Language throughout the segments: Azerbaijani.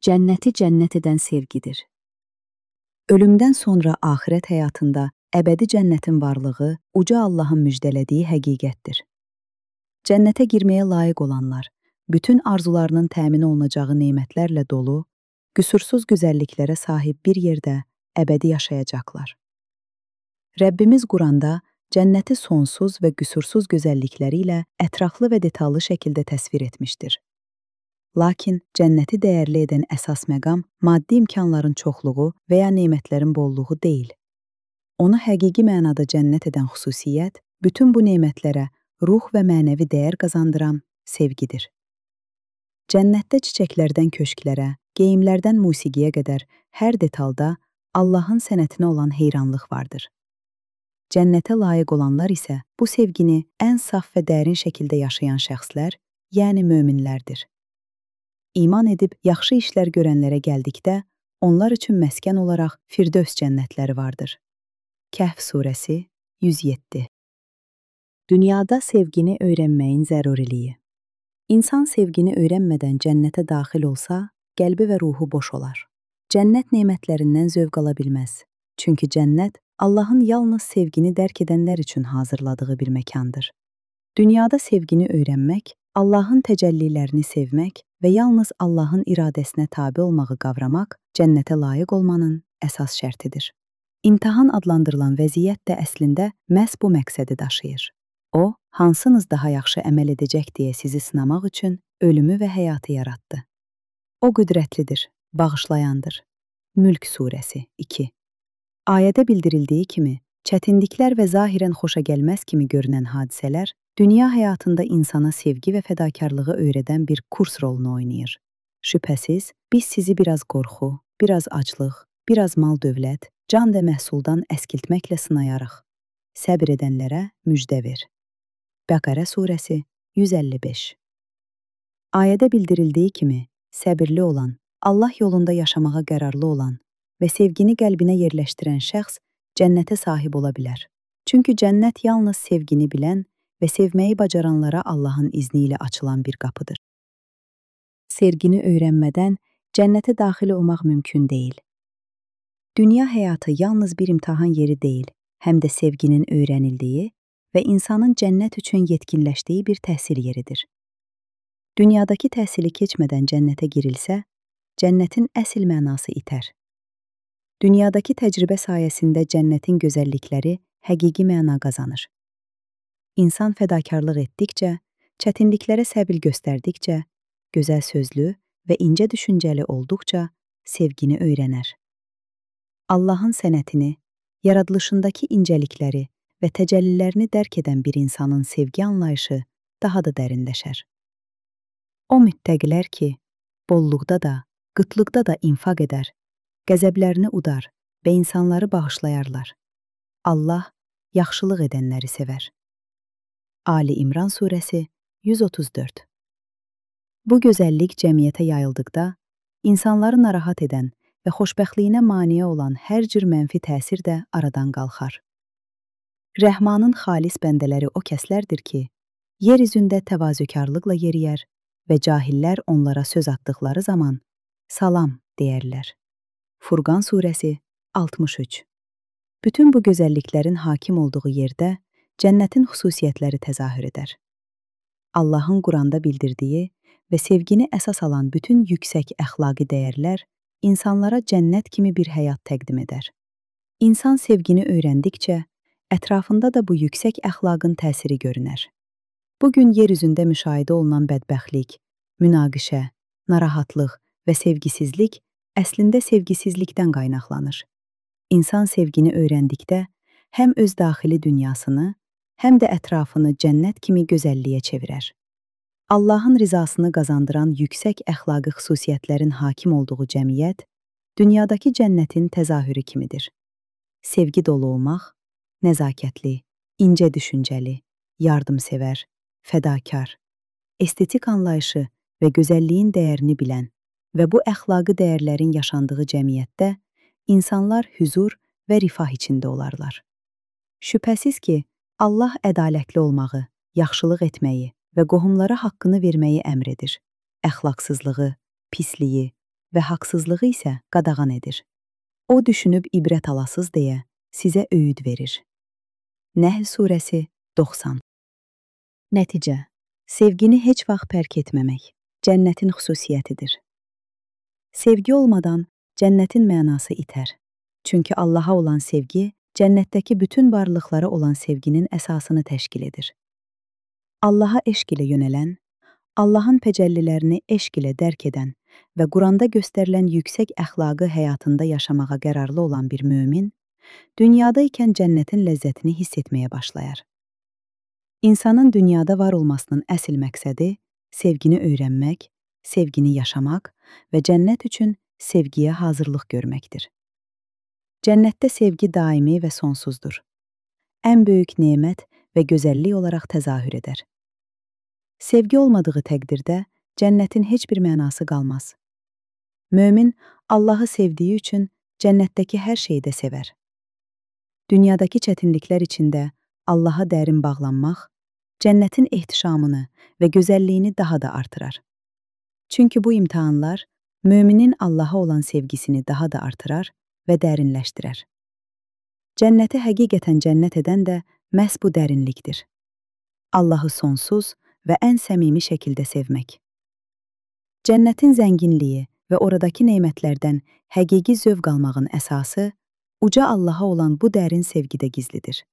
cənnəti cənnət edən sevgidir. Ölümdən sonra axirət həyatında əbədi cənnətin varlığı uca Allahın müjdələdiyi həqiqətdir. Cənnətə girməyə layiq olanlar, bütün arzularının təmin olunacağı nemətlərlə dolu, qüsursuz gözəlliklərə sahib bir yerdə əbədi yaşayacaqlar. Rəbbimiz Quranda cənnəti sonsuz və qüsursuz gözəllikləri ilə ətraflı və detallı şəkildə təsvir etmişdir. Lakin cənnəti dəyərli edən əsas məqam maddi imkanların çoxluğu və ya nemətlərin bolluğu deyil. Onu həqiqi mənada cənnət edən xüsusiyyət, bütün bu nemətlərə ruh və mənəvi dəyər qazandıran sevgidir. Cənnətdə çiçəklərdən köşklərə, geyimlərdən musiqiyə qədər hər detalda Allahın sənətinə olan heyranlıq vardır. Cənnətə layiq olanlar isə bu sevgini ən saf və dərin şəkildə yaşayan şəxslər, yəni möminlərdir. İman edib yaxşı işlər görənlərə gəldikdə, onlar üçün məskən olaraq Firdövs cənnətləri vardır. Kəhf surəsi 107. Dünyada sevgini öyrənməyin zəruriliyi. İnsan sevgini öyrənmədən cənnətə daxil olsa, qəlbi və ruhu boş olar. Cənnət nemətlərindən zövq ala bilməz. Çünki cənnət Allahın yalnız sevgini dərk edənlər üçün hazırladığı bir məkandır. Dünyada sevgini öyrənmək, Allahın təcəllilərini sevmək və yalnız Allahın iradəsinə tabe olmağı qavramaq cənnətə layiq olmanın əsas şərtidir. İmtahan adlandırılan vəziyyət də əslində məhz bu məqsədi daşıyır. O, hansınız daha yaxşı əməl edəcək deyə sizi sınamaq üçün ölümü və həyatı yaratdı. O qüdrətlidir, bağışlayandır. Mülk surəsi 2. Ayədə bildirildiyi kimi, çətinliklər və zahirən xoşagəlməz kimi görünən hadisələr dünya həyatında insana sevgi və fədakarlığı öyrədən bir kurs rolunu oynayır. Şübhəsiz, biz sizi biraz qorxu, biraz aclıq, biraz mal-dövlət, can və məhsuldan əskiltməklə sınayarıq. Səbr edənlərə müjdə ver. Bəqərə surəsi 155. Ayədə bildirildiyi kimi, səbirli olan, Allah yolunda yaşamağa qərarlı olan və sevgini qəlbinə yerləşdirən şəxs cənnətə sahib ola bilər. Çünki cənnət yalnız sevgini bilən və sevməyi bacaranlara Allahın izni ilə açılan bir qapıdır. Sevgini öyrənmədən cənnətə daxil olmaq mümkün deyil. Dünya həyatı yalnız bir imtahan yeri deyil, həm də sevginin öyrənildiyi və insanın cənnət üçün yetkinləşdiyi bir təhsil yeridir. Dünyadakı təhsili keçmədən cənnətə girilsə, cənnətin əsl mənası itər. Dünyadakı təcrübə sayəsində cənnətin gözəllikləri həqiqi məna qazanır. İnsan fədakarlıq etdikcə, çətinliklərə səbir göstərdikcə, gözəl sözlü və incə düşüncəli olduqca sevgini öyrənər. Allahın sənətini, yaradılışındakı incəlikləri və təcəllilərini dərk edən bir insanın sevgi anlayışı daha da dərinləşər. O müttəqilər ki, bolluqda da, qıtlıqda da infaq edər, qəzəblərini udar və insanları bağışlayarlar. Allah yaxşılıq edənləri sevər. Ali İmran surəsi 134. Bu gözəllik cəmiyyətə yayıldıqda, insanları narahat edən və xoşbəxtliyinə maneə olan hər cür mənfi təsir də aradan qalxar. Rəhmanın xalis bəndələri o kəslərdir ki, yer üzündə təvazökarlıqla yeriyər və cahillər onlara söz atdıqları zaman salam deyərlər. Furqan surəsi 63. Bütün bu gözəlliklərin hakim olduğu yerdə cənnətin xüsusiyyətləri təzahür edər. Allahın Quranda bildirdiyi və sevgini əsas alan bütün yüksək əxlaqi dəyərlər insanlara cənnət kimi bir həyat təqdim edər. İnsan sevgini öyrəndikcə, ətrafında da bu yüksək əxlaqın təsiri görünər. Bugün yer üzündə müşahidə olunan bədbəxtlik, münaqişə, narahatlıq və sevgisizlik əslində sevgisizlikdən qaynaqlanır. İnsan sevgini öyrəndikdə həm öz daxili dünyasını, həm də ətrafını cənnət kimi gözəlliyə çevirər. Allahın rizasını qazandıran yüksək əxlaqi xüsusiyyətlərin hakim olduğu cəmiyyət, dünyadakı cənnətin təzahürü kimidir. Sevgi dolu olmaq, nəzakətli, incə düşüncəli, yardımsevər, fədakar, estetik anlayışı və gözəlliyin dəyərini bilən və bu əxlaqi dəyərlərin yaşandığı cəmiyyətdə insanlar hüzur və rifah içində olarlar. Şübhəsiz ki, Allah ədalətli olmağı, yaxşılıq etməyi və qohumlara haqqını verməyi əmr edir. Əxlaqsızlığı, pisliyi, və haqsızlığı isə qadağan edir. O düşünüb ibrət alasız deyə sizə öyüd verir. Nəhl surəsi 90. Nəticə: sevgini heç vaxt pərk etməmək cənnətin xüsusiyyətidir. Sevgi olmadan cənnətin mənası itər. Çünki Allaha olan sevgi cənnətdəki bütün varlıqlara olan sevginin əsasını təşkil edir. Allaha eşq ilə yönələn, Allahın təcəllilərini eşq ilə dərk edən və Quranda göstərilən yüksək əxlaqı həyatında yaşamağa qərarlı olan bir mömin, dünyada ikən cənnətin ləzzətini hiss etməyə başlayar. İnsanın dünyada var olmasının əsl məqsədi sevgini öyrənmək, sevgini yaşamaq və cənnət üçün sevgiyə hazırlıq görməkdir. Cənnətdə sevgi daimi və sonsuzdur. Ən böyük nemət və gözəllik olaraq təzahür edər. Sevgi olmadığı təqdirdə cənnətin heç bir mənası qalmaz. Mömin Allahı sevdiyi üçün cənnətdəki hər şeyi də sevər. Dünyadakı çətinliklər içində Allaha dərin bağlanmaq, cənnətin ehtişamını və gözəlliyini daha da artırar. Çünki bu imtahanlar möminin Allaha olan sevgisini daha da artırar və dərinləşdirər. Cənnəti həqiqətən cənnət edən də məhz bu dərinlikdir. Allahı sonsuz və ən səmimi şəkildə sevmək. Cənnətin zənginliyi və oradakı nemətlərdən həqiqi zövq almağın əsası uca Allaha olan bu dərin sevgidə gizlidir.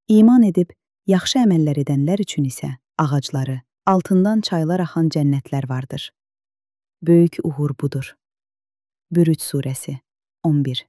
İman edib, yaxşı əməllər edənlər üçün isə ağacları, altından çaylar axan cənnətlər vardır. Böyük uğur budur. Bürüc surəsi 11.